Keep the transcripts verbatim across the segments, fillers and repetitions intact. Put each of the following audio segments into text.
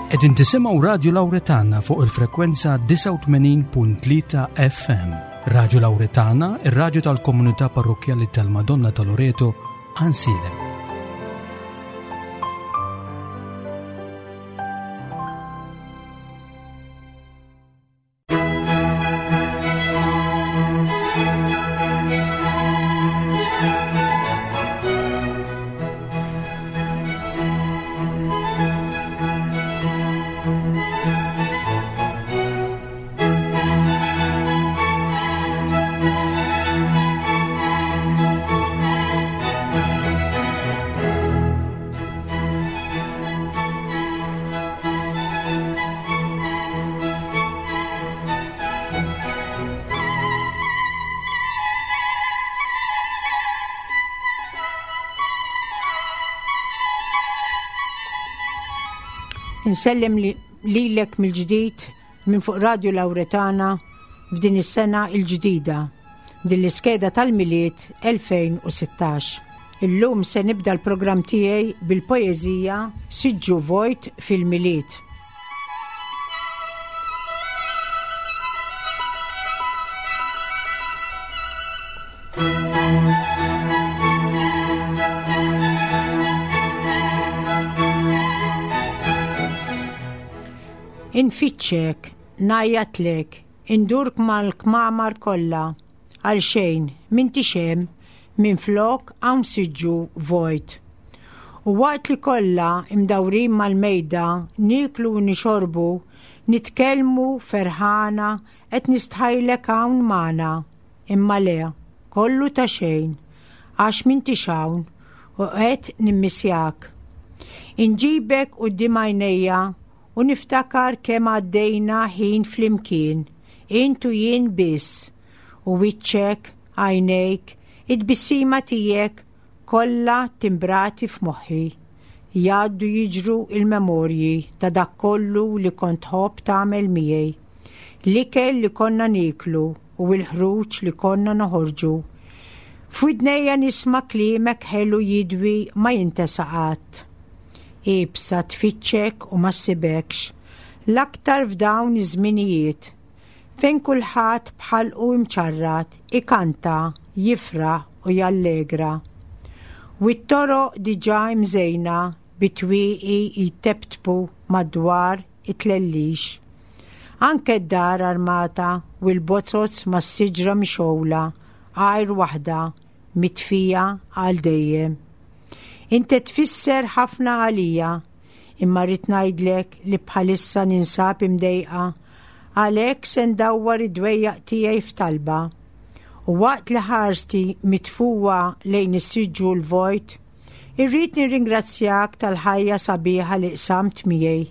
Qegħdin tisimgħu Radio Lauretana fuq il-frekwenza disgħa u tmenin punt tlieta F M. Radio Lauretana, ir-raġu tal-komunità parrokkjali tal-Madonna ta' Loreto, Għajnsielem. Insellem lilek mill-ġdid minn fuq Radio Lauretana f'din is-sena il-ġdida, din l-iskeda tal-Milied elfejn u sittax. Illum se nibda l-programm tiegħi bil-poeżija "Siġġu Vojt fil-Milied". Infittxek, ngħajjatlek, indurk mal-kmamar kollha, għal xejn, m'intix hemm, minflok hawn siġġu vojt. U waqt li kollha imdawrin mal-mejda, nieklu u nixorbu, nitkellmu ferħana, qed nistħajlek hawn magħna. Imma le, kollu ta' xejn, għax m'intix hawn u qed nimmissjak. Inġibek quddiem għajnejja u niftakar kemm għaddejna ħin flimkien, int u jien biss, u wiċċek, għajnejk, it-tbissima tiegħek kollha timbrati f'moħħi. Jgħaddu jiġru il-memorji ta' dak kollu li kont tħobb tagħmel miegħi. L-ikel li konna nieklu u l-ħruġ li konna noħorġu. F'widnejja nisma' kliemek ħelu jidwi ma jintesa qatt. Iebsa tfittxek u ma ssibekx, l-aktar f'dawn iż-żminijiet, fejn kulħadd b'ħalqu imċarrat, ikanta, jifraħ u jallegra. U t-toroq diġà imżejna bit-twieqi jteptpu madwar it-tlellix. Anke d-dar armata u l-bozoz mas-siġra mixgħula, għajr waħda mitfija għal dejjem. Inti tfisser ħafna għalija, imma rrid ngħidlek li bħalissa ninsab imdejqa, għalhekk se ndawwar id-dwejjaq tiegħi f'talba. U waqt li ħarsti mitfuwa lejn is-siġġu l-vojt, irrid nirringrazzjak tal-ħajja sabiħa li qsamt miegħi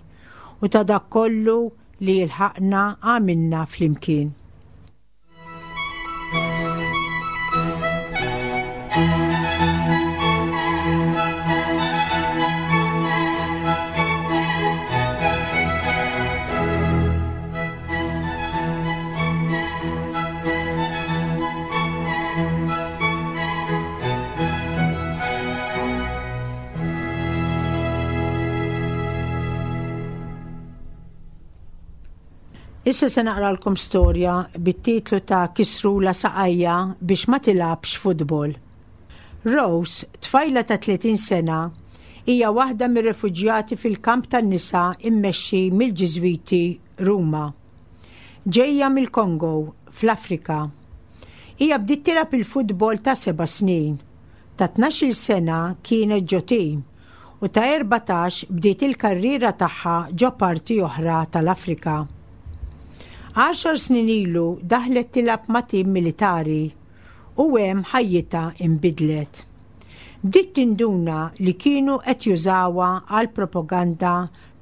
u ta' dak kollu li lħaqna għamilna flimkien. Issa se naqralkom storja bit-titlu ta' "Kisrulha Saqajha biex ma tilgħabx futbol". Rose, tfajla ta' tletin sena, hija waħda mir-refuġjati fil-kamp tan-nisa immexxi mill-Ġiżwiti Ruma. Ġejja mill-Kongo, fl-Afrika. Hija bdiet tilgħab il-futbol ta' seba' snin. Ta' tnax-il sena kienet ġo tim u ta' erbatax bdiet il-karriera tagħha ġo parti oħra tal-Afrika. Għaxar snin ilu daħlet tilgħab ma' tim militari u hemm ħajjitha inbidlet. Bdiet tinduna li kienu qed jużawha għal propaganda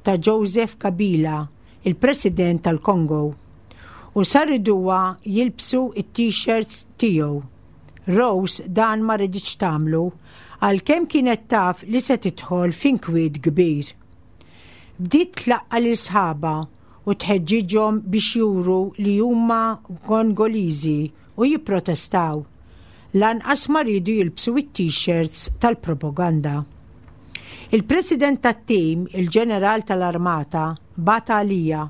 ta' Joseph Kabila, il-President tal-Kongo, u sar iriduha jilbsu it-t-shirts tiegħu. Rose dan ma riditx tagħmlu għalkemm kienet taf li se tidħol f'inkwiet kbir. Bdiet tlaqqa' lil sħabha u tħeġġiġhom biex juru li huma Kongoliżi u jipprotestaw. Lanqas ma riedu jilbsu it-t-shirts tal-propaganda. Il-president tat-tim, il-ġeneral tal-armata, Bagħat għalija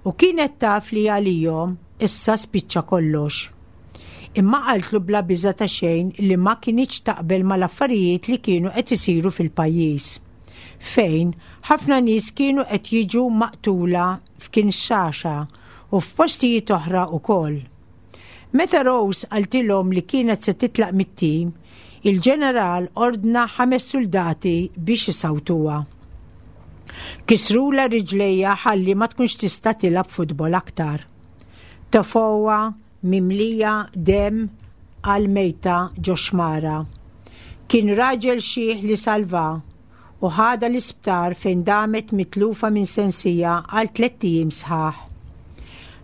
u kienet taf li għalihom issa spiċċa kollox. Imma qaltlu bla biża ta' xejn li ma kinitx taqbel mal-affarijiet li kienu qed isiru fil-pajjiż, fejn ħafna nies kienu qed jiġu maqtula f'Kinshasa u f'postijiet oħra wkoll. Meta Rose qaltilhom li kienet se titlaq mit-tim, il-ġeneral ordna ħames soldati biex isawtuha. Kisrulha riġlejha ħalli ma tkunx tista' tilgħab futbol aktar. Tefgħuha mimlija demm għal mejta ġo xmara. Kien raġel xiħ li salvaha u ħadha l-isptar, fejn damet mitlufa minn sensiha għal tlett ijiem sħaħ.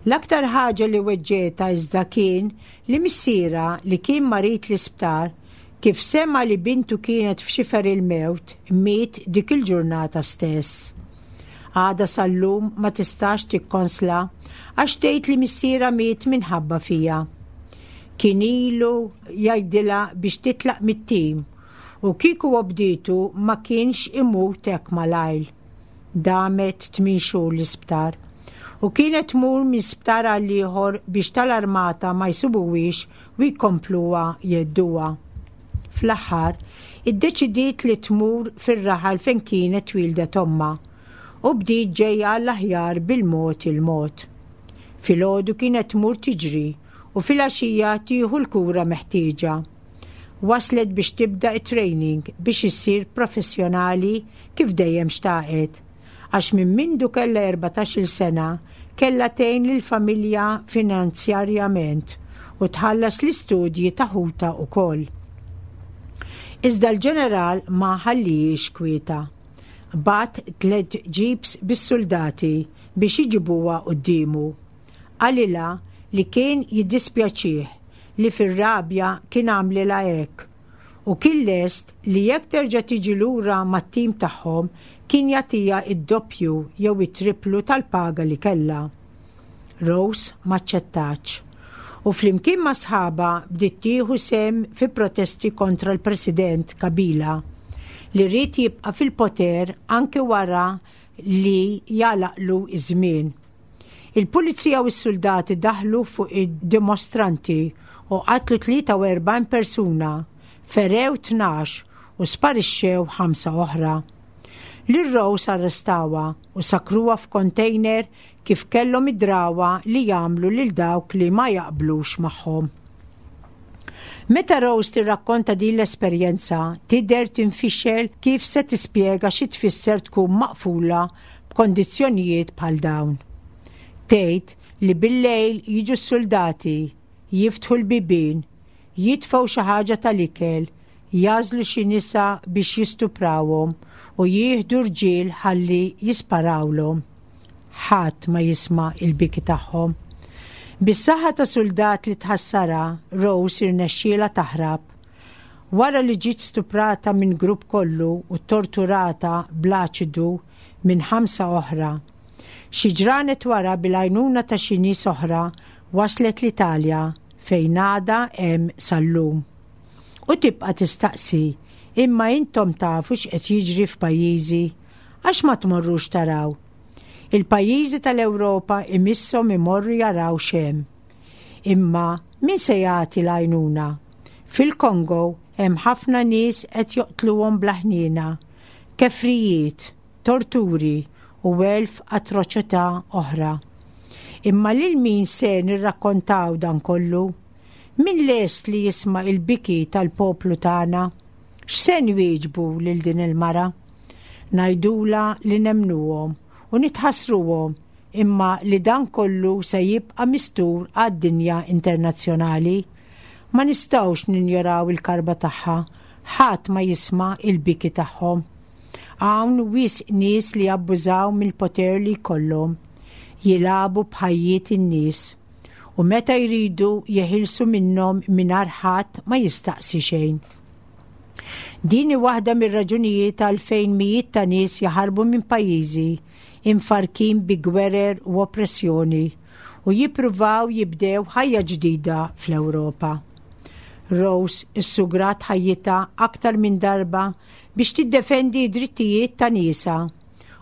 L-aktar ħaġa li weġġgħetha iżda kien li missierha, li kien marid l-isptar, kif sema li bintu kienet f'xifer il-mewt, miet dik il-ġurnata stess. Għadha sal-lum ma tistax tikkonsla għax tgħid li missierha miet minħabba fiha. Kien ilu jgħidilha biex titlaq mit-tim u kieku obdietu ma kienx imut hekk malajr. Damet tmien xhur l-isptar u kienet tmur minn sptar għal ieħor biex tal-armata ma jsibuhiex u jkompluha jhedduha. Fl-aħħar, iddeċidiet li tmur fir-raħal fejn kienet twieldet ommha u bdiet ġejja l-aħjar bil-mod il-mod. Filgħodu kienet tmur tiġri u filgħaxija tieħu l-kura meħtieġa. Waslet biex tibda it-training biex issir professjonali kif dejjem xtaqet. Għax minn mindu kella erbatax-il sena kella tgħin lill-familja finanzjarjament u tħallas l-istudji ta' ħutha wkoll. Iżda l-ġeneral ma ħallihiex kwieta. Bagħat tliet jeeps bis-soldati biex iġibuha quddiemu. Qalilha li kien jiddispjaċih li fir-rabja kien għamlilha hekk u kien lest li jekk terġa' tiġi lura mat-tim tagħhom kien jagħtiha id-doppju jew it-triplu tal-paga li kellha. Rose m'aċċettatx u flimkien ma' sħabha bdiet tieħu sehem fi protesti kontra l-President Kabila, li ried jibqa' fil-poter anke wara li jagħlaqlu iż-żmien. Il-pulizija u s-soldati daħlu fuq id-dimostranti u qatlu tlieta u erbgħin persuna, ferew tnax u sparixxew ħamsa oħra. Lil Rose arrestawha u sakruha f'kontejner, kif kellhom id-drawa li jagħmlu lil dawk li ma jaqblux magħhom. Meta Rose tirrakkonta din l-esperjenza, tidher tinfixel kif se tispjega xi tfisser tkun maqfula b'kondizzjonijiet bħal dawn. Tgħid li bil-lejl jiġu s-soldati, jiftħu l-bibien, jitfgħu xi ħaġa tal-ikel, jagħżlu xi nisa biex jistuprawhom u jieħdu rġiel ħalli jisparawlhom. Ħadd ma jisma' il-biki tagħhom. Bis-saħħa ta' soldat li tħassarha, Rose irnexxielha taħrab. Wara li ġiet stuprata minn grupp kollu u torturata bl-aċidu minn ħamsa oħra. Xi ġranet wara, bil-għajnuna ta' xi nies oħra, waslet l-Italja, fejn għadha hemm sal-lum. U tibqa' tistaqsi, "Imma intom tafu x'qed jiġri f'pajjiżi, għax ma tmorrux taraw?" Il-pajjiżi tal-Ewropa imisshom imorru jaraw x'hemm. Imma min se jagħti l-għajnuna? Fil-Kongo hemm ħafna nies qed joqtluhom bla ħniena, kefrijiet, torturi u elf atroċità oħra. Imma lil min se nirrakkontaw dan kollu? Min lest li jisma' il-biki tal-poplu tagħna? X'se nwieġbu lil din il-mara? Ngħidulha li nemmnuhom u nitħassruhom, imma li dan kollu se jibqa' mistur għad-dinja internazzjonali? Ma nistgħux ninjoraw il-karba tagħha, ħadd ma jisma' il-biki tagħhom. Hawn wisq nies li abbużaw mill-poter li jkollhom, jilagħbu b'ħajjiet in-nies u meta jridu jeħilsu minnhom mingħajr ħadd ma jistaqsi xejn. Din hi waħda mir-raġunijiet għalfejn mijiet ta' nies jaħarbu minn pajjiżi imfarrkin bi gwerer u oppressjoni u jippruvaw jibdew ħajja ġdida fl-Ewropa. Rose issugrat ħajjitha aktar minn darba biex tiddefendi d-drittijiet ta' niesha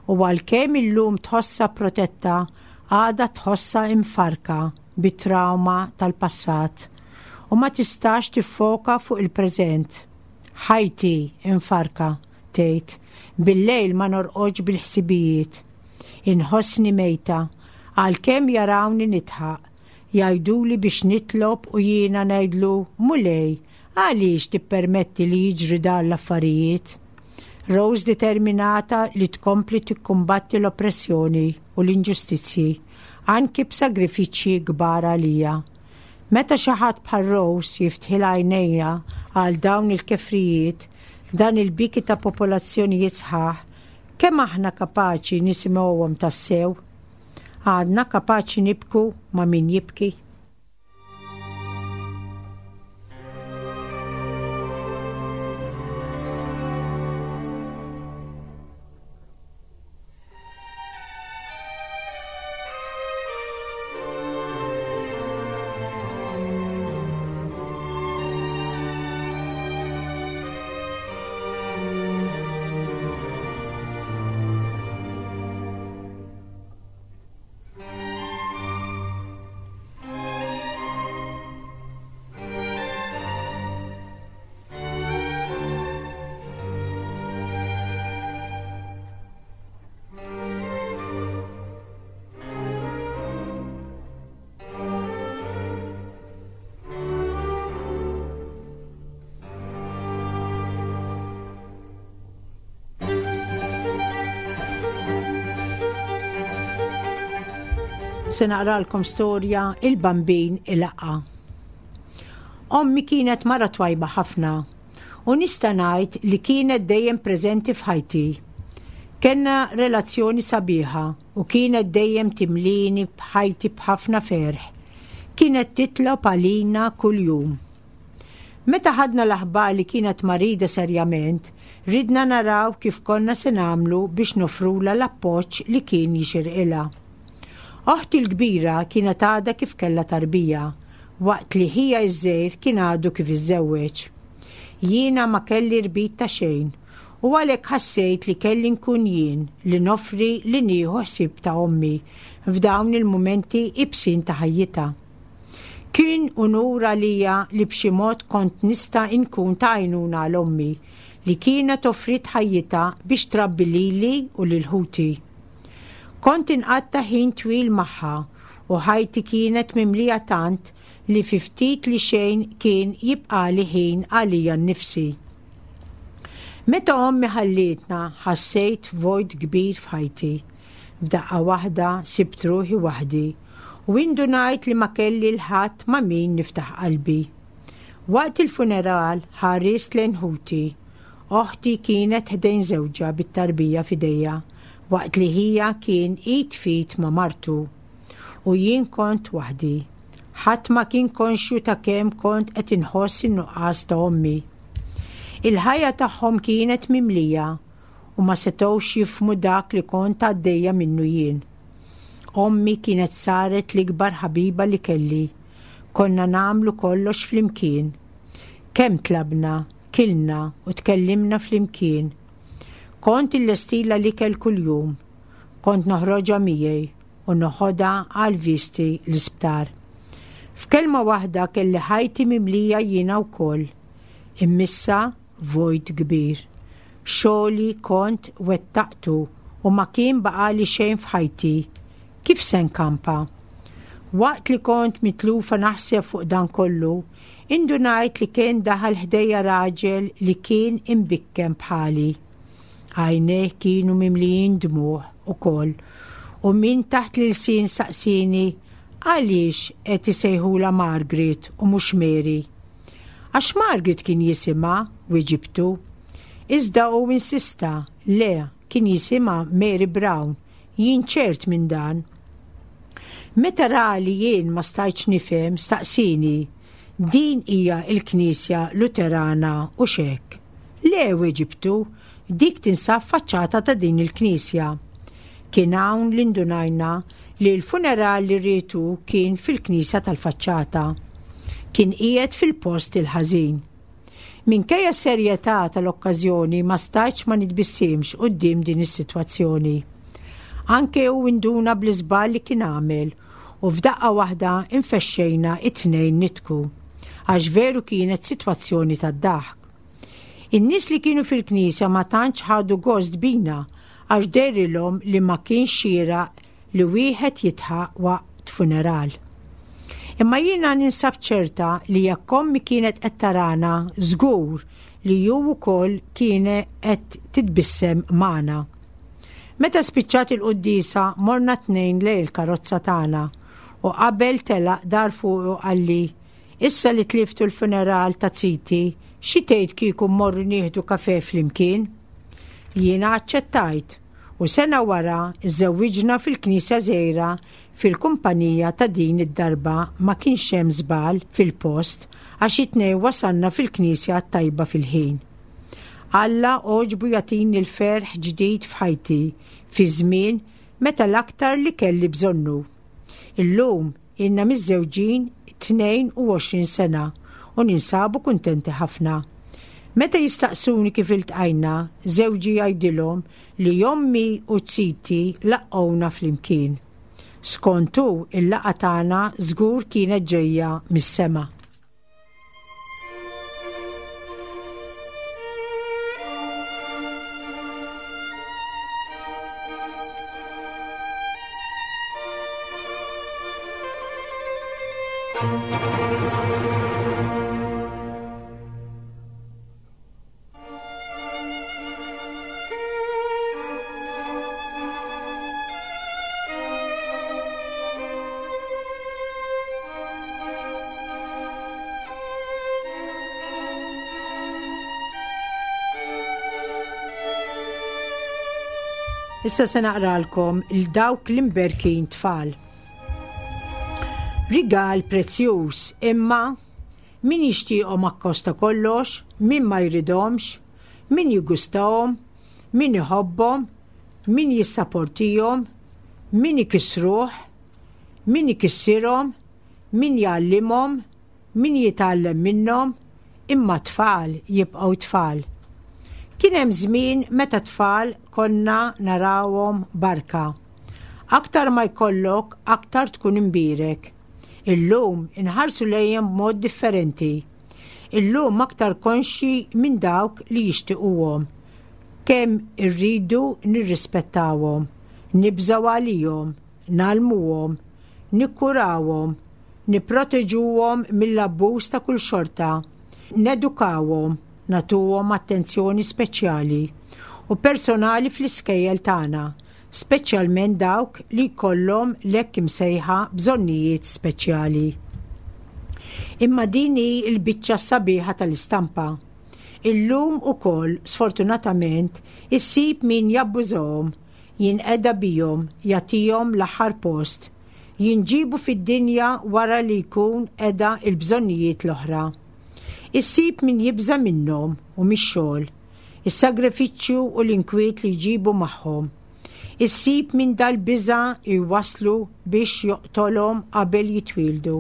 U għalkemm illum tħossha protetta, għadha tħossha imfarka bit-trauma tal-passat u ma tistax tiffoka fuq il-preżent. Ħajti imfarka, tgħid, bil-lejl ma norqodx bil-ħsibijiet. Inħossni mejta, għalkemm jarawni nidħaq, jgħiduli biex nitlob u jiena ngħidlu Mulej, għaliex tippermetti li jiġri dan l-affarijiet? Rose determinata li tkompli tikkumbatti l-oppressjoni u l-inġustizzji, anki b'sagrifiċċji kbar għalija. Meta xi ħadd bħal Rose jiftħilha għajnejha għal dawn il-kefrijiet, dan il-biki ta' popolazzjonijiet sħaħ, kemm aħna kapaċi nisimgħuhom tassew? Għadna kapaċi nibku ma' min jibki? Se naqralkom storja Il-Bambin il-Laqqa. Ommi kienet mara twajba ħafna u nista' ngħid li kienet dejjem preżenti f'ħajti. Kenna relazzjoni sabiħa u kienet dejjem timlini b'ħajti b'ħafna ferħ. Kienet titlob għalina kuljum. Meta ħadna l-aħbar li kienet marida serjament, ridna naraw kif konna se nagħmlu biex nofrula l-appoġġ li kien jixirqilha. Oħti l-kbira kienet għadha kif kellha tarbija, waqt li ħija iż-żgħir kien għadu kif iżżewweġ. Jiena ma kelli rbit ta' xejn u għalhekk ħassejt li kelli nkun jien li nofri li nieħu ħsieb ta' ommi f'dawn il-mumenti ibsin ta' ħajjitha. Kien unur għalija li b'xi mod kont nista' nkun ta' għajnuna għal ommi li kienet offrit ħajjitha biex trabbi lili u lil ħuti. Kont inqatta' ħin twil magħha u ħajti kienet mimlija tant li fi ftit li xejn kien jibqali ħin għalija nnifsi. Meta ommi ħallietna ħassejt vojt kbir f'ħajti. F'daqqa waħda sibt ruħi waħdi u indunajt li ma kelli l-ħadd ma' min niftaħ qalbi. Waqt il-funeral ħarist lejn ħuti. Oħti kienet ħdejn żewġha bit-tarbija f'idejha, waqt li ħija kien id fit ma' martu. U jien kont waħdi. Ħadd ma kien konxju ta' kemm kont qed inħoss in-nuqqas ta' ommi. Il-ħajja tagħhom kienet mimlija u ma setgħux jifhmu dak li kont għaddejja minnu jien. Ommi kienet saret l-ikbar ħabiba li kelli. Konna nagħmlu kollox flimkien. Kemm tlabna, kilna u tkellimna flimkien. Kont illestila l-ikel kuljum. Kont noħroġha miegħi u noħodha għal visti l-isptar. F'kelma waħda kelli ħajti mimlija jiena wkoll. Immissa vojt kbir. Xogħli kont wettaqtu u ma kien baqali xejn f'ħajti. Kif se nkampa? Waqt li kont mitlufa naħseb fuq dan kollu, indunajt li kien daħal ħdejja raġel li kien imbikkem bħali. Għajnejh kienu mimlijin dmugħ ukoll u min taħt l-ilsien saqsini għaliex qed isejħula Margaret u mhux Mary. Għax Margaret kien jisimha, wieġibtu. Iżda hu insista, le, kien jisimha Mary Brown, jien ċert minn dan. Meta ra li jien ma stajtx nifhem, staqsini, din hija l-Knisja Luterana u xek. Le, wieġibtu, dik tinsab faċċata ta' din il-Knisja. Kien hawn li ndunajna li l-funeral li rietu kien fil-Knisja tal-faċċata. Kien qiegħed fil-post il-ħażin. Minkejja s-serjetà tal-okkażjoni ma stajtx ma nitbissimx quddiem din is-sitwazzjoni. Anke hu induna bl-iżball li kien għamel u f'daqqa waħda infexxejna it-tnejn nidħku, għax veru kienet sitwazzjoni tad-daħk. In-nies li kienu fil-knisja ma tantx ħadu gost bina għax dehrilhom li ma kienx xieraq li wieħed jidħaq waqt funeral. Imma jiena ninsab ċerta li jekk ommi kienet qed tarana żgur li hu wkoll kienet qed titbissem magħna. Meta spiċċat il-quddiesa morna tnejn lejn il-karozza tagħna u qabel telaq dar fuqu qalli, "Issa li tliftu l-funeral ta' ziti, xi tgħid kieku mmorru nieħdu kafe flimkien?" Jiena aċċettajt u sena wara żżewwiġna fil-knisja żgħira fil-kumpanija ta' din id-darba ma kienx hemm żball fil-post għax it-tnejn wasalna fil-knisja tajba fil-ħin. Alla għoġbu jagħtini l-ferħ ġdid f'ħajti fi żmien meta l-aktar li kelli bżonnu. Illum ilna miżżewġin tnejn u għoxrin sena u ninsabu kuntenti ħafna. Meta jistaqsuni kif iltqajna, żewġi jgħidilhom li ommi u ziti laqqgħuna flimkien. Skontu il-laqgħa tagħna żgur kienet ġejja mis-sema. Issa se naqralkom il dawk l-imberkin tfal. Rigal prezzjuż, imma min jixtieqhom akkost ta' kollox, min ma jridhomx, min jiggustahom, min iħobbhom, min jissaportihom, min ikissruh, min ikissirhom, min jgħallimhom, min jitgħallem minnhom, imma tfal jibqgħu tfal. Kien hemm żmien meta tfal konna narawhom barka. Aktar ma jkollok, aktar tkun imbierek. Illum inħarsu lejhom b'mod differenti. Illum aktar konxi minn dawk li jixtiquhom. Kemm irridu nirrispettawhom, nibżgħu għalihom, ngħallmuhom, nikkurawhom, nipproteġuhom mill-abbuż ta' kull xorta, nedukawhom, nagħtuhom attenzjoni speċjali u personali fl-iskejjel tagħna, speċjalment dawk li jkollhom l-hekk imsejħa bżonnijiet speċjali. Imma din hi l-biċċa sabiħa tal-istampa. Illum ukoll, sfortunatament, issib min jabbużahom, jinqeda bihom, jagħtihom l-aħħar post, jinġibu fid-dinja wara li jkun qeda il-bżonnijiet l-oħra. Issib min jibża minnhom u mix-xogħol, is-sagrifiċċju u l-inkwiet li jġibu magħhom. Issib min dal-biża jwaslu biex joqtolhom qabel jitwildu.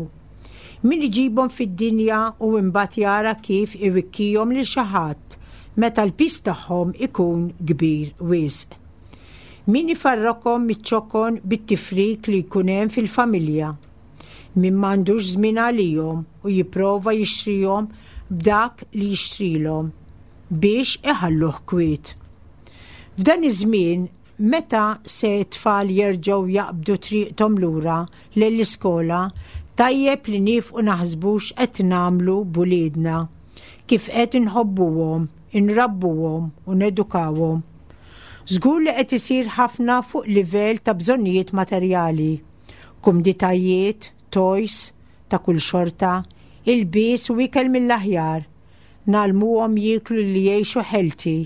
Min iġibhom fid-dinja u imbagħad jara kif iwikkihom lil xi ħadd meta l-piż tagħhom ikun kbir wisq. Min ifarrakhom miċ-ċokon bit-tifrik li jkun hemm fil-familja. Min m'għandux żmien għalihom u jipprova jixtrihom b'dak li jixtrilhom biex iħalluh kwiet. F'dan iż-żmien meta se t-tfal jerġgħu jaqbdu triqthom lura lill-iskola, tajjeb li nieqfu naħsbu x'qed nagħmlu b'uliedna, kif qed inħobbuhom, inrabbuhom u nedukawhom. Żgur li qed isir ħafna fuq livell ta' bżonnijiet materjali, kumditajiet, toys ta' kull xorta, ilbies u ikel mill-aħjar, ngħallmuhom jieklu li jgħixu healthy,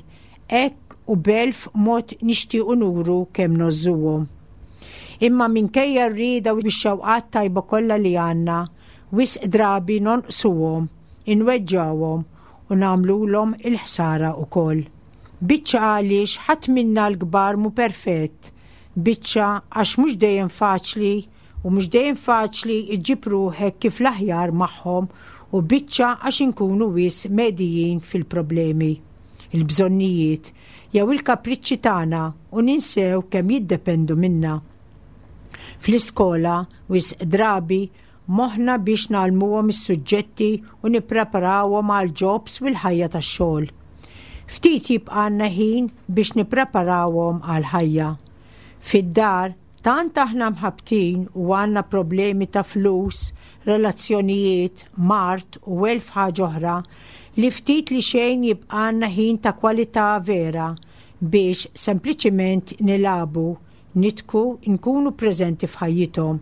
hekk u b'elf mod nixtiequ nuru kemm ngħożżuhom. Imma minkejja r-rieda u x-xewqat tajba kollha li għandna, wisq drabi nonqsuhom, inweġġawhom u nagħmluhom il-ħsara wkoll. Biċċa għaliex ħadd minna l-kbar mhu perfett, biċċa għax mhux dejjem faċli u mhux dejjem faċli iġġib ruħek kif l-aħjar magħhom u biċċa għax inkunu wisq medhijin fil-problemi. il-bżonnijiet jew il-kapriċċi tagħna u ninsew kemm jiddependu minna. Fl-iskola wisq drabi moħħna biex ngħallmuhom is-suġġetti u nippreparawhom għal jobs u l-ħajja tax-xogħol. Ftit jibqgħalna ħin biex nippreparawhom għal ħajja. Fid-dar tant aħna mħabtin u għandna problemi ta' flus, relazzjonijiet, mard u elf ħaġa oħra li ftit li xejn jibqgħalna ħin ta' kwalità vera biex sempliċiment nilagħbu, nidħku, nkunu preżenti f'ħajjithom.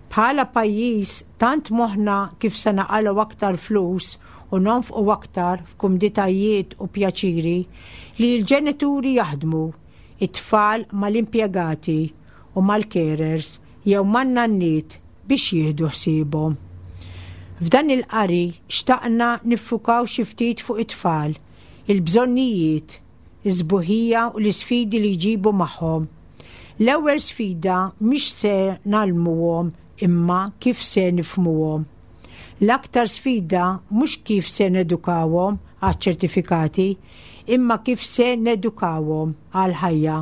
Bħala pajjiż tant moħħna kif se naqalgħu aktar flus u nonfqu aktar f'kumditajiet u pjaċiri li l-ġenituri jaħdmu, it-tfal mal-impjegati u mal-carers jew man-nanniet biex jieħdu ħsiebhom. F'dan il-qari xtaqna niffukaw xi ftit fuq it-tfal, il-bżonnijiet, iż-sbuħija u l-isfidi li jġibu magħhom. L-ewwel sfida mhix se ngħallmuhom imma kif se nifhmuhom. L-aktar sfida mhux kif se nedukawhom għaċ-ċertifikati, imma kif se nedukawhom għal-ħajja.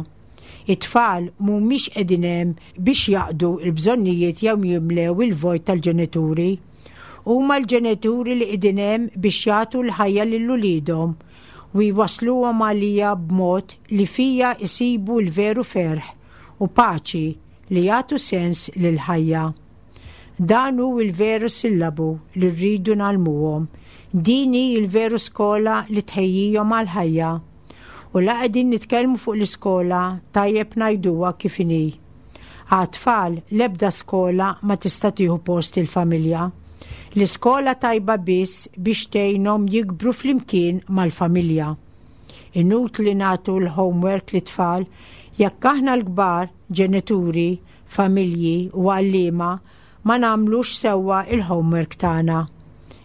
It-tfal mhumiex qegħdin hemm biex jaqdu l-bżonnijiet jew jimlew il-vojt tal-ġenituri. Huma l-ġenituri li qegħdin hemm biex jagħtu l-ħajja lil uliedhom u jwasluhom għalija b'mod li fija jsibu l-veru ferħ u paċi li jagħtu sens lill-ħajja. Dan hu l-veru sillabu li rridu ngħallmuhom. Din hi l-veru skola li tħejjihom għal-ħajja. U la qegħdin nitkellmu fuq l-iskola tajjeb ngħiduha kif inhi. Għat-tfal l-ebda skola ma tista' tieħu post il-familja. L-iskola tajba biss biex tgħinhom jikbru flimkien mal-familja. Inutli nagħtu l-homework lit-tfal jekk aħna l-kbar, ġenituri, familji u għalliema ma nagħmlux sewwa il-homework tagħna.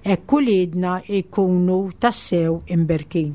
Hekk uliedna jkunu tassew imberkin.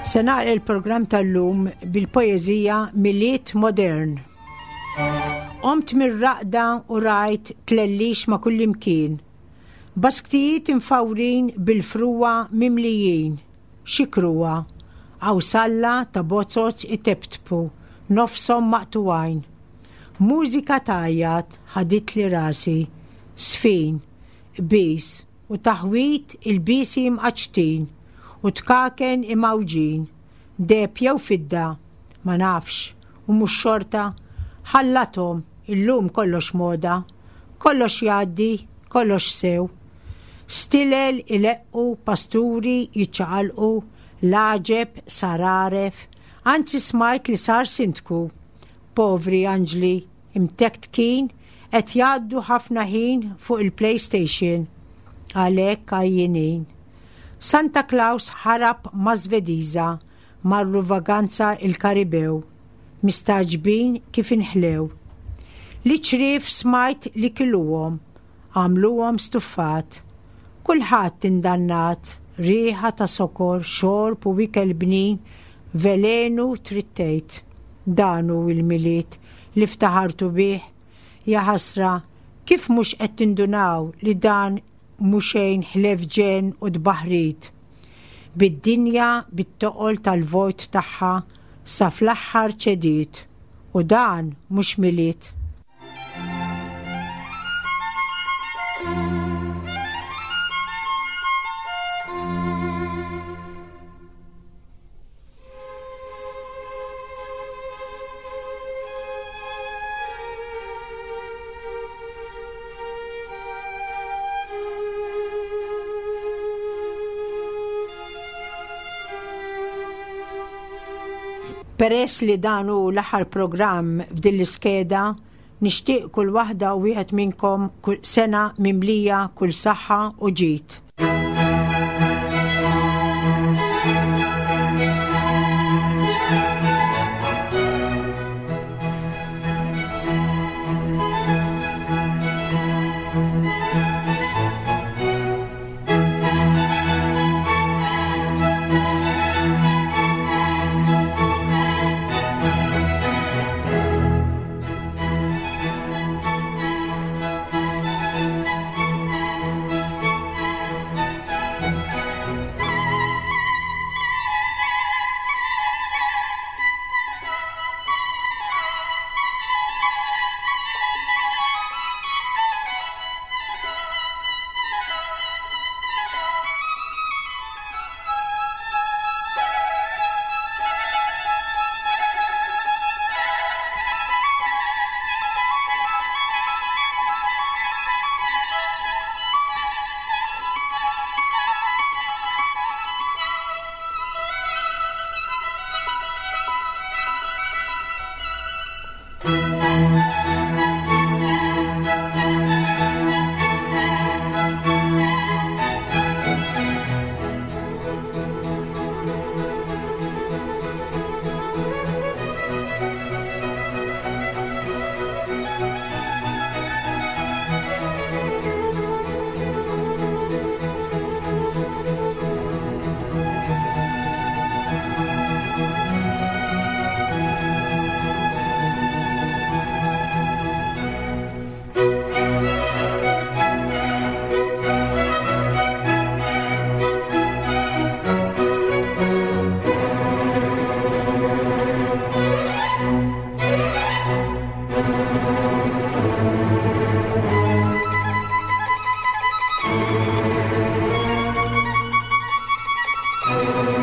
Se nagħlaq il-programm tal-lum bil-poeżija Milied Modern. Qomt mir-raqda u rajt tlellix ma' kullimkien. Basktijiet imfawrin bil-frugħa mimlijin. Xikruwa, qawsalla ta' bozoz iteptpu, nofshom maqtugħin. Mużika tgħajjat ħaditli rasi, sfin, qbiż u taħwit ilbiesi mqaċċtin u tkaken imgħawġin, deheb jew fidda, ma nafx, u mhux xorta, ħallathom illum kollox moda, kollox jgħaddi, kollox sew. Stilel ileqqu, pasturi jiċċaqalqu, l-għaġeb sar għaref, anzi smajt li sar sindku. Povri anġli, imtektkin, qed jgħaddu ħafna ħin fuq il-PlayStation. Għalhekk għajjenin. Santa Claus ħarab ma' Svediża marru vaganza il-Karibew, mistagħġbin kif inħlew. Li ċriev smajt li kiluhom, għamluhom stuffat. Kulħadd indannat, riħa ta' sokor, xorb u ikel bnin, velenu trid tgħid. Dan hu il-Milied li ftaħartu bih. Ja ħasra, kif mhux qed tindunaw li dan mhu xejn ħlief ġenn u tbaħrid. Bid-dinja bit-toqol tal-vojt tagħha sa fl-aħħar ċediet u dan mhux Milied. Peress li dan hu l-aħħar programm f'din l-iskeda, nixtieq kull waħda u wieħed minnkom kull sena mimlija kull saħħa u ġid. Thank you.